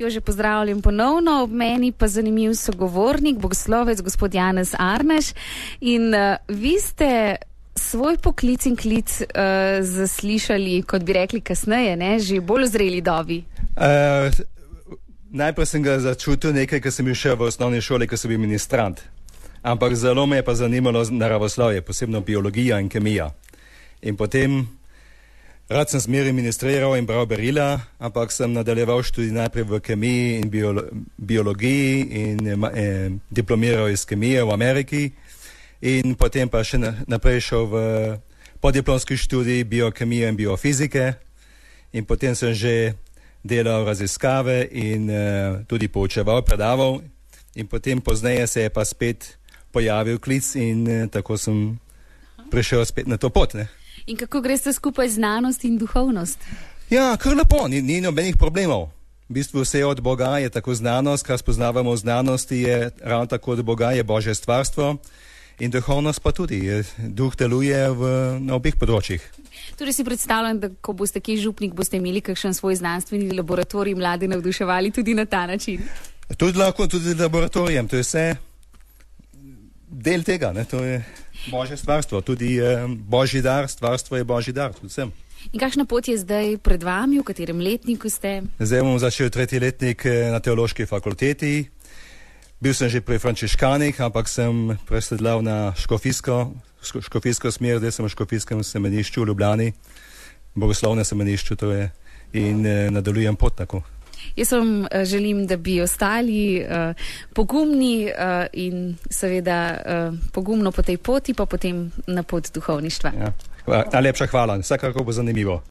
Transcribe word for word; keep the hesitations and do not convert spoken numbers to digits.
Jože, pozdravljam ponovno, ob meni pa zanimiv sogovornik, bogoslovec, gospod Janez Arneš. In uh, vi ste svoj poklic in klic uh, zaslišali, kot bi rekli kasneje, ne, že bolj v zreli dobi. Uh, najprej sem ga začutil nekaj, ko sem bil še v osnovni šoli, ko sem bil ministrant. Ampak zelo me je pa zanimalo naravoslovje, posebno biologija in kemija. In potem rad sem zmeraj ministriral in bral berila, ampak sem nadaljeval študij najprej v kemiji in biolo biologiji in eh, diplomiral iz kemije v Ameriki in potem pa še naprej šel v podiplomski študij biokemije in biofizike in potem sem že delal raziskave in eh, tudi poučeval, predaval in potem pozneje se je pa spet pojavil klic in eh, tako sem prišel spet na to pot, ne. In kako greste skupaj znanost in duhovnost? Ja, kar lepo, ni, ni nobenih problemov. V bistvu vse od Boga je tako znanost, kar spoznavamo v znanosti, je ravno tako od Boga, je Božje stvarstvo in duhovnost pa tudi. Je, duh deluje v, na obeh področjih. Torej si predstavljam, da ko boste kje župnik, boste imeli kakšen svoj znanstveni laboratorij, mlade navduševali tudi na ta način? Tudi lahko, tudi laboratorijem, to je vse del tega, ne, to je Božje stvarstvo, tudi eh, Božji dar, stvarstvo je Božji dar, tudi vsem. In kakšna pot je zdaj pred vami, v katerem letniku ste? Zdaj bom začel tretji letnik na teološki fakulteti. Bil sem že pri frančiškanih, ampak sem presedlal na škofijsko, škofijsko smer, zdaj sem v škofijskem semenišču v Ljubljani, bogoslovnem semenišču to je, in eh, nadaljujem pot tako. Jaz vam uh, želim, da bi ostali uh, pogumni uh, in seveda uh, pogumno po tej poti, pa potem na pot duhovništva. Ja. Najlepša hvala, vsekakor bo zanimivo.